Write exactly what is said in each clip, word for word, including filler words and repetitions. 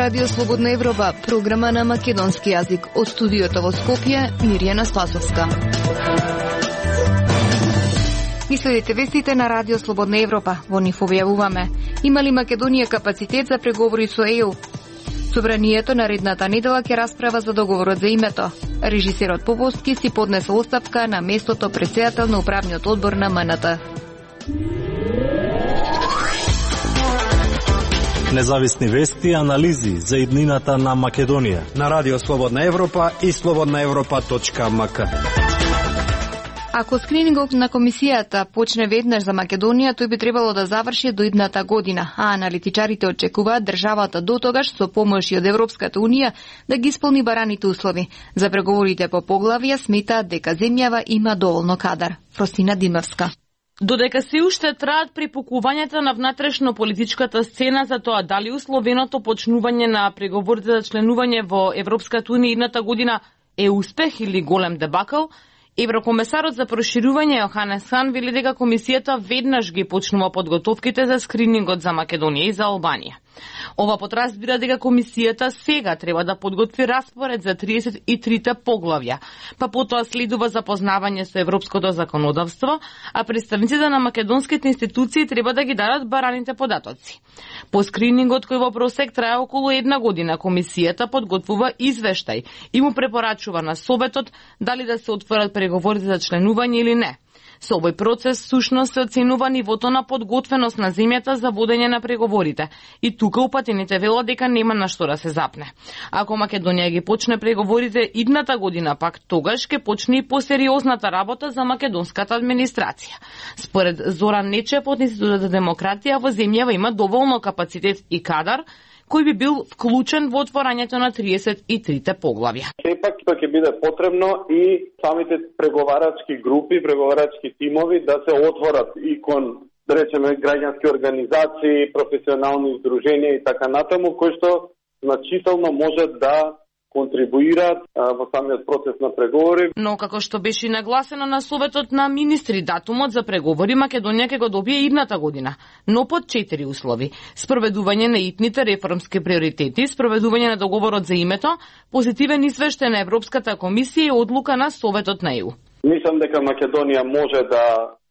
Радио Слободна Европа, програма на македонски јазик. Од студиото во Скопје, Мирјана Спасовска. Ги следите вестите на Радио Слободна Европа. Во нив објавуваме: има ли Македонија капацитет за преговори со Е У? Собранието наредната недела ќе расправа за договорот за името. Режисерот Поповски си поднесол оставка на местото претседател на управниот одбор на М Н Т. Независни вести и анализи за иднината на Македонија на Радио Слободна Европа и слободна европа точка м к. Ако скринингот на комисијата почне веднаш за Македонија, тој би требало да заврши до идната година, а аналитичарите очекуваат државата до тогаш со помош и од Европската унија да ги исполни бараните услови. За преговорите по поглавија сметаат дека земјава има доволно кадар. Фросина Димовска. Додека се уште траат припукувањата на внатрешно политичката сцена за тоа дали условеното почнување на преговорите за членување во Европската унија идната година е успех или голем дебакл, Еврокомесарот за проширување Јоханес Хан вели дека комисијата веднаш ги почнува подготовките за скринингот за Македонија и за Албанија. Ова подразбира дека комисијата сега треба да подготви распоред за триесет и трите поглавја, па потоа следува запознавање со европското законодавство, а представниците на македонските институции треба да ги дадат бараните податоци. По скринингот кој во просек трае околу една година, комисијата подготвува извештај и му препорачува на Советот дали да се отворат преговорите за членување или не. Со овој процес сушност се оценува нивото на подготвеност на земјата за водење на преговорите и тука упатените велат дека нема на што да се запне. Ако Македонија ги почне преговорите идната година, пак тогаш ќе почне и посериозната работа за македонската администрација. Според Зоран Нечев од Институтот за демократија, во земјава има доволно капацитет и кадар кој би бил вклучен во отворањето на триесет и трите поглавја. Сепак тоа ќе биде потребно и самите преговарачки групи, преговарачки тимови да се отворат и кон, да речеме, граѓански организации, професионални издруженија и така натаму, кои што значително можат да контрибуираат во самиот процес на преговори. Но како што беше нагласено на Советот на министри, датумот за преговори Македонија ќе го добие идната година, но под четири услови: спроведување на итните реформски приоритети, спроведување на договорот за името, позитивен извештај на Европската комисија и одлука на Советот на Е У. Мислам дека Македонија може да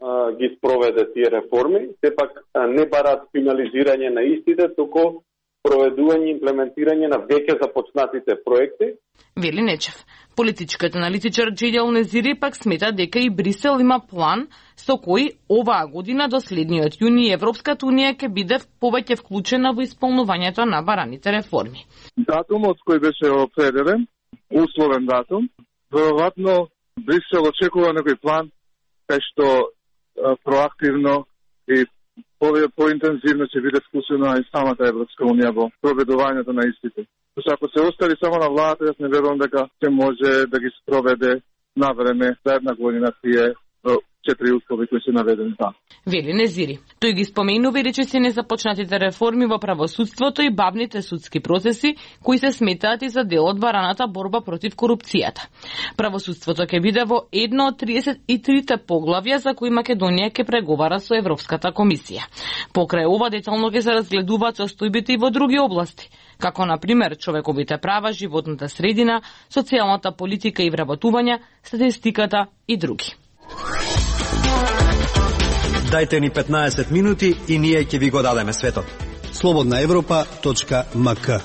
а, ги спроведе тие реформи, сепак а, не бараат финализирање на истите, туку проведување и имплементирање на веќе започнатите проекти. Вели Нечев. Политичкиот аналитичар Джедјал Незири пак смета дека и Брисел има план со кој оваа година до следниот јуни Европската унија ќе биде повеќе вклучена во исполнувањето на бараните реформи. Датумот кој беше определен, условен датум, веројатно Брисел очекува некој план кај што а, проактивно и поинтензивно ќе биде вклучена и самата Европска унија во проведувањето на истите. Зашто ако се остави само на владата, јас не верувам дека ќе може да ги спроведе на време за една година тие четири услови кои се наведени там. Вели Незири. Тој ги споменува и речиси незапочнатите реформи во правосудството и бавните судски процеси, кои се сметаат и за дел од бараната борба против корупцијата. Правосудството ќе биде во едно од триесет и трите поглавја за кои Македонија ќе преговара со Европската комисија. Покрај ова детално ќе се разгледуваат состојбите и во други области, како на пример човековите права, животната средина, социјалната политика и вработување, статистиката и други. Дајте ни петнаесет минути и ние ќе ви го дадеме светот. слободна европа точка м к.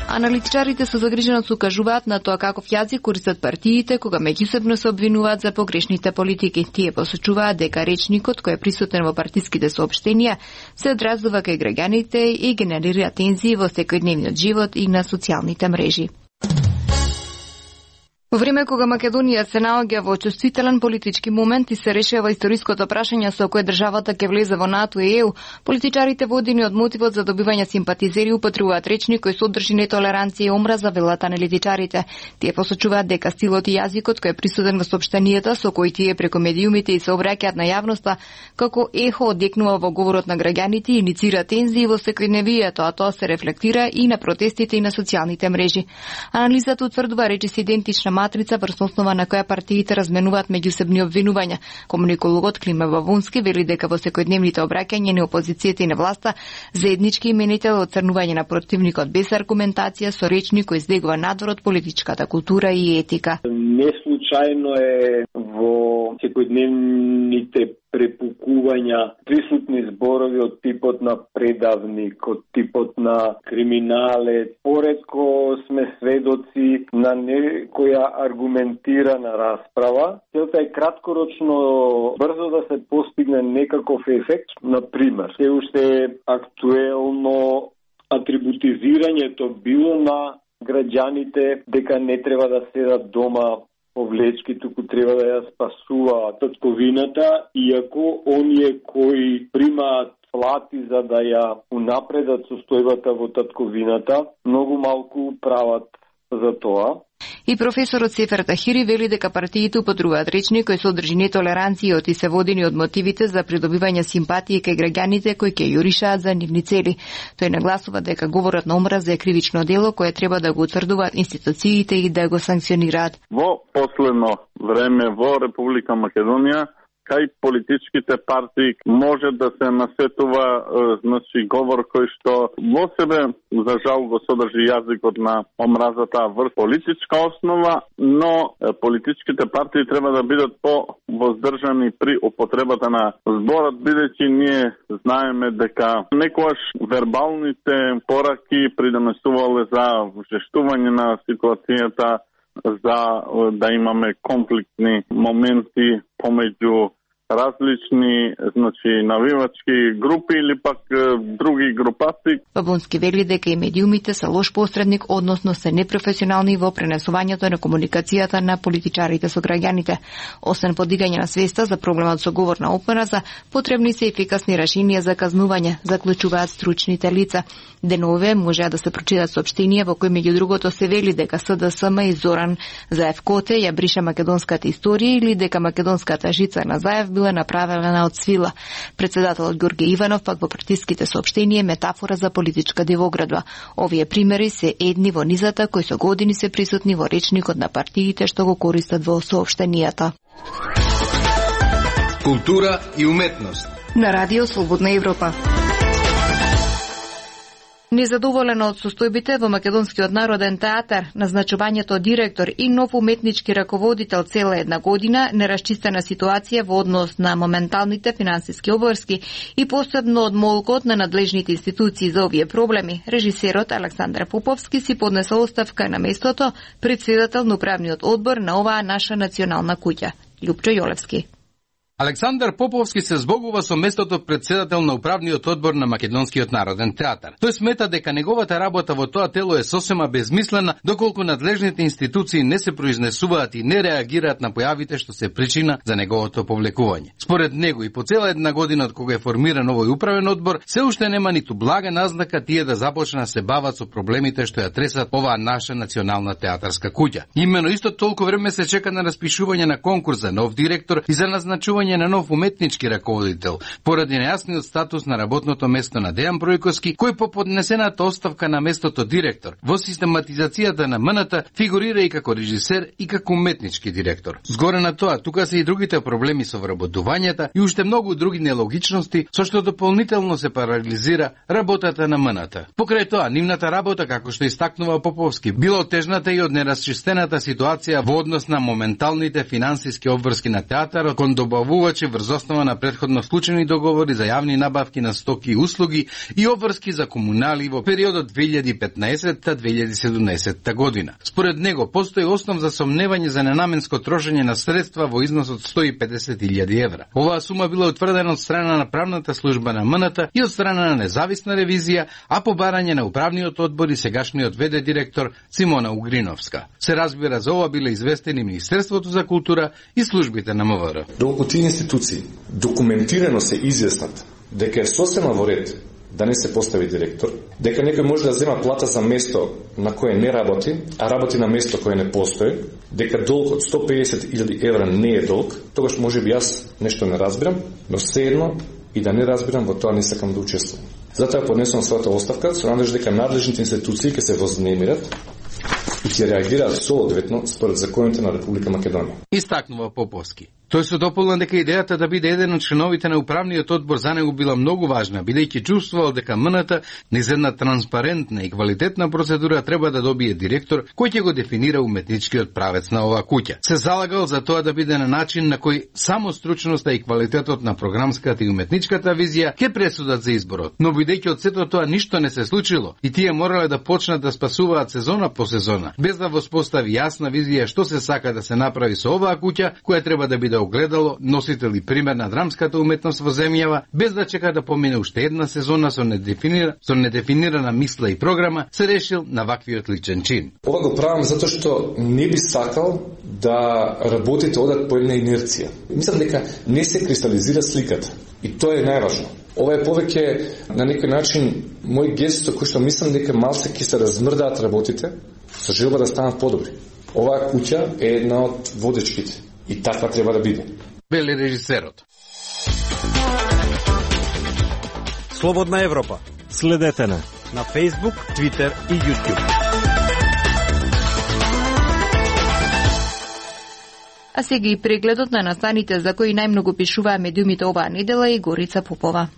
Аналитичарите со загриженост укажуваат на тоа каков јазик користат партиите кога меѓусебно се обвинуваат за погрешните политики. Тие посочуваат дека речникот кој е присутен во партиските соопштенија се одразува кај граѓаните и генерира тензии во секојдневниот живот и на социјалните мрежи. Во време кога Македонија се наоѓа во чувствителен политички момент и се решава историското прашање со кое државата ќе влезе во НАТО и Е У, политичарите водени од мотивот за добивање симпатизери употребуваат речник кој содржи нетолеранција и омраза, велат аналитичарите. Тие посочуваат дека стилот и јазикот кој е присутен во соопштенијата со кои тие преку медиумите и се обраќаат на јавноста како ехо одекнува во говорот на граѓаните и иницира тензии во секојдневието, а тоа се рефлектира и на протестите и на социјалните мрежи. Анализата утврдува речиси идентична матрица врз основа на која партиите разменуваат меѓусебни обвинувања. Комуникологот Климе Бабунски вели дека во секојдневните обраќања на опозицијата и на власта заеднички именител оцрнување на противникот без аргументација со речник кој издегува надвор од политичката култура и етика. Не случајно е во секојдневните препукувања присутни зборови од типот на предавник, од типот на криминалец. Поретко сме сведоци на некоја аргументирана расправа. Целта е краткорочно брзо да се постигне некаков ефект. Например, се уште актуелно атрибутизирањето било на граѓаните дека не треба да седат дома повлечки, туку треба да ја спасува татковината, иако оние кои примаат плати за да ја унапредат состојбата во татковината, многу малку прават за тоа. И професорот Сефер Тахири вели дека партиите употребуваат речник кој содржи нетолеранција и се водени од мотивите за придобивање симпатија кај граѓаните кои ќе јуришаат за нивни цели. Тој нагласува дека говорот на омраза е кривично дело кое треба да го утврдуваат институциите и да го санкционираат. Во последно време во Република Македонија кај политичките партии може да се насетува значи говор кој што во себе за жал го содржи јазикот на омразата врз политичка основа, но политичките партии треба да бидат по-воздржани при употребата на зборот, бидејќи ние знаеме дека некојаш вербалните пораки придонесувале за жештување на ситуацијата, за да имаме конфликтни моменти помеѓу различни, значи, навивачки групи или пак е, други групации. Бабунски вели дека и медиумите се лош посредник, односно се непрофесионални во пренесувањето на комуникацијата на политичарите со граѓаните. Освен подигање на свеста за проблемот со говор на омраза, потребни се ефикасни решенија за казнување, заклучуваат стручните лица. Денове можеа да се прочитат соопштенија во кои меѓу другото се вели дека СДСМ и Зоран Заев Коте ја бриша македонската историја или дека македонската жица на Заев била направена од свила. Председателот Ѓорѓе Иванов пак во притиските соопштенија метафора за политичка дивоградба. Овие примери се едни во низата кои со години се присутни во речникот на партиите што го користат во соопштенијата. Култура и уметност на Радио Слободна Европа. Незадоволено од состојбите во Македонскиот народен театар, назначувањето директор и нов уметнички раководител цела една година, нерасчистена ситуација во однос на моменталните финансиски обврски и посебно од молкот на надлежните институции за овие проблеми, режисерот Александар Поповски си поднесол оставка на местото претседател на управниот одбор на оваа наша национална куќа. Љупчо Јолевски. Александар Поповски се збогува со местото председател на управниот одбор на Македонскиот народен театар. Тој смета дека неговата работа во тоа тело е сосема безмислена, доколку надлежните институции не се произнесуваат и не реагираат на појавите што се причина за неговото повлекување. Според него и по цела една година од кога е формиран овој управен одбор, се уште нема ниту блага назнака тие да започнат се бават со проблемите што ја тресат оваа наша национална театарска куќа. Имено исто толку време се чека на распишување на конкурс за нов директор и за назначување на нов уметнички раководител, поради нејасниот статус на работното место на Дејан Бројковски, кој по поднесената оставка на местото директор во систематизацијата на МНТ фигурира и како режисер и како уметнички директор. Згоре на тоа, тука се и другите проблеми со вработувањата и уште многу други нелогичности, со што дополнително се парализира работата на МНТ. Покрај тоа, нивната работа, како што истакнува Поповски, била отежната и од нерасчистената ситуација во однос на моменталните финансиски обврски на театарот кон добавувачи врз основа на претходно склучени договори за јавни набавки на стоки и услуги и обврски за комунали во периодот две илјади и петнаесетта - две илјади и седумнаесетта година. Според него, постои основ за сомневање за ненаменско трошење на средства во износ од сто и педесет илјади евра. Оваа сума била утврдена од страна на правната служба на МНТ и од страна на независна ревизија, а по барање на управниот одбор и сегашниот ве де директор Симона Угриновска. Се разбира, за ова биле известени Министерството за култура и службите на МВР. Доколку тие институции документирано се изјаснат дека е сосема во ред да не се постави директор, дека некој може да зема плата за место на кое не работи, а работи на место кое не постои, дека долг од сто и педесет илјади евра не е долг, тогаш може би јас нешто не разбирам, но сеедно и да не разбирам, во тоа не сакам да учествувам. Затоа поднесувам својата оставка, со надеж дека надлежните институции ќе се вознемират и ќе реагираат соодветно според законите на Република Македонија. Истакнува Поповски. Тој се дополна дека идејата да биде еден од членовите на управниот одбор за него била многу важна, бидејќи чувствувал дека МНТ низ една транспарентна и квалитетна процедура треба да добие директор кој ќе го дефинира уметничкиот правец на оваа куќа. Се залагал за тоа да биде на начин на кој само стручноста и квалитетот на програмската и уметничката визија ќе пресудат за изборот. Но бидејќи од сето тоа ништо не се случило и тие морале да почнат да спасуваат сезона по сезона, без да воспостави јасна визија што се сака да се направи со оваа куќа, која треба да биде огледало, носител и пример на драмската уметност во земјава, без да чека да помине уште една сезона со недефинира, со недефинирана мисла и програма, се решил на ваквиот личен чин. Ова го правам затоа што не би сакал да работите одат по една инерција. Мислам дека не се кристализира сликата и тоа е најважно. Ова е повеќе на некој начин мој гест кој што мислам дека малце ќе се размрдаат работите со желба да станат подобри. Оваа куќа е една од водечките и таква треба да биде. Вели режисерот. Слободна Европа. Следете на на Facebook, Twitter и YouTube. А сега и прегледот на настаните за кои најмногу пишуваа медиумите оваа недела и Горица Попова.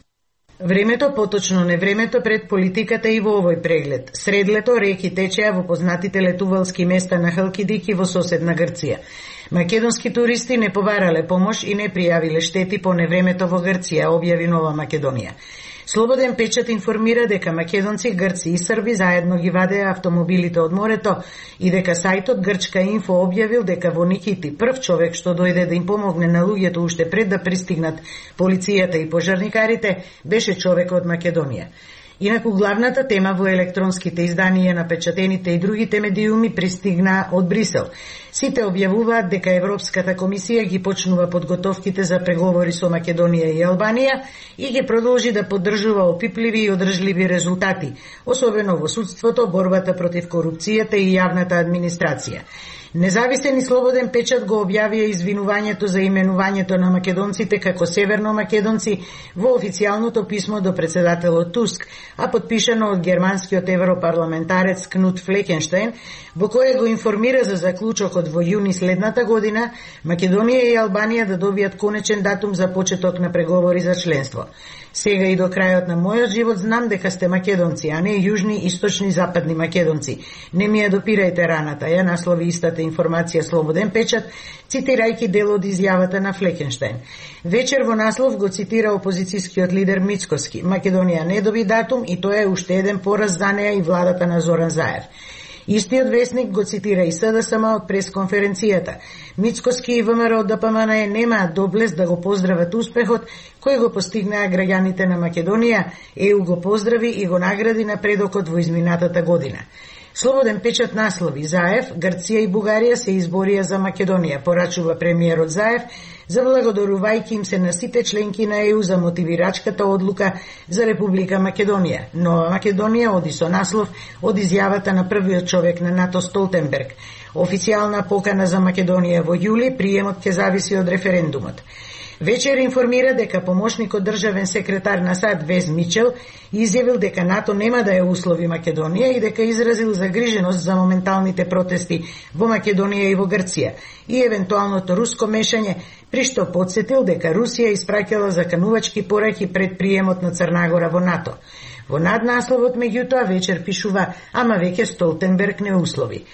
Времето, поточно невремето пред политиката и во овој преглед. Сред лето реки течеа во познатите летувалски места на Халкидик и во соседна Грција. Македонски туристи не побарале помош и не пријавиле штети по невремето во Грција, објави Нова Македонија. Слободен печат информира дека македонци, грци и срби заедно ги вадеа автомобилите од морето и дека сајтот Грчка Инфо објавил дека во Никити прв човек што дојде да им помогне на луѓето уште пред да пристигнат полицијата и пожарникарите беше човек од Македонија. Инаку главната тема во електронските изданија на печатените и другите медиуми пристигна од Брисел. Сите објавуваат дека Европската комисија ги почнува подготовките за преговори со Македонија и Албанија и ги продолжи да поддржува опипливи и одржливи резултати, особено во судството, борбата против корупцијата и јавната администрација. Независен и слободен печат го објавија извинувањето за именувањето на македонците како северномакедонци во официјалното писмо до председателот Туск, а подпишано од германскиот европарламентарец Кнут Флекенштајн, во кое го информира за заклучокот во јуни следната година Македонија и Албанија да добијат конечен датум за почеток на преговори за членство. Сега и до крајот на мојот живот знам дека сте македонци, а не јужни, источни, западни македонци. Не ми ја допирајте раната, ја наслови истата информација Слободен печат, цитирајќи дел од изјавата на Флекенштајн. Вечер во наслов го цитира опозицијскиот лидер Мицкоски. Македонија не доби датум и тоа е уште еден пораз за неа и владата на Зоран Заев. Истиот весник го цитира и СДСМ од пресконференцијата. Мицкоски и ВМРО Д П М Н немаат доблест да го поздрават успехот кој го постигнаа граѓаните на Македонија, Е У го поздрави и го награди напредокот во изминатата година. Слободен печат наслови Заев, Грција и Бугарија се изборија за Македонија, порачува премиерот Заев, заблагодарувајќи им се на сите членки на Е У за мотивирачката одлука за Република Македонија. Нова Македонија оди со наслов од изјавата на првиот човек на НАТО Столтенберг. Официјална покана за Македонија во јули, приемот ќе зависи од референдумот. Вечер информира дека помошникот државен секретар на САД Вез Мичел изјавил дека НАТО нема да ја услови Македонија и дека изразил загриженост за моменталните протести во Македонија и во Грција и евентуалното руско мешање, при што подсетил дека Русија испраќала заканувачки пораки пред приемот на Црнагора во НАТО. Во наднасловот меѓутоа вечер пишува, ама веќе Столтенберг не услови.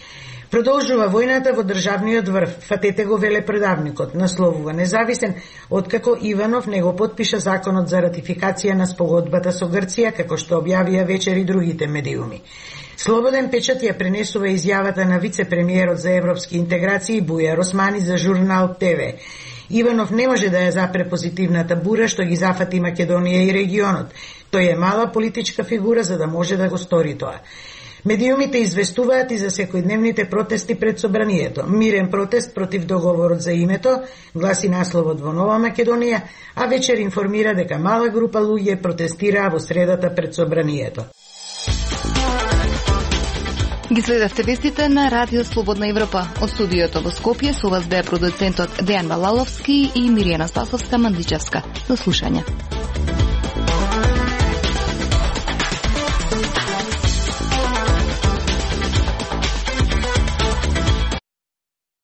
Продолжува војната во државниот врв, фатете го велепродавникот, насловува независен, откако Иванов не го потпиша законот за ратификација на спогодбата со Грција, како што објавија вечер и другите медиуми. Слободен печат ја пренесува изјавата на вице-премиерот за европски интеграции Бујар Османи за журнал Т В. Иванов не може да ја запре позитивната бура што ги зафати Македонија и регионот. Тој е мала политичка фигура за да може да го стори тоа. Медиумите известуваат и за секојдневните протести пред собранието. Мирен протест против договорот за името, гласи насловот во Нова Македонија, а вечер информира дека мала група луѓе протестираа во средата пред собранието. Ги следевте вестите на Радио Слободна Европа. Од студиото во Скопје со вас беа продуцентот Дејан Балаловски и Миријана Спасовска-Мандличевска. До слушање.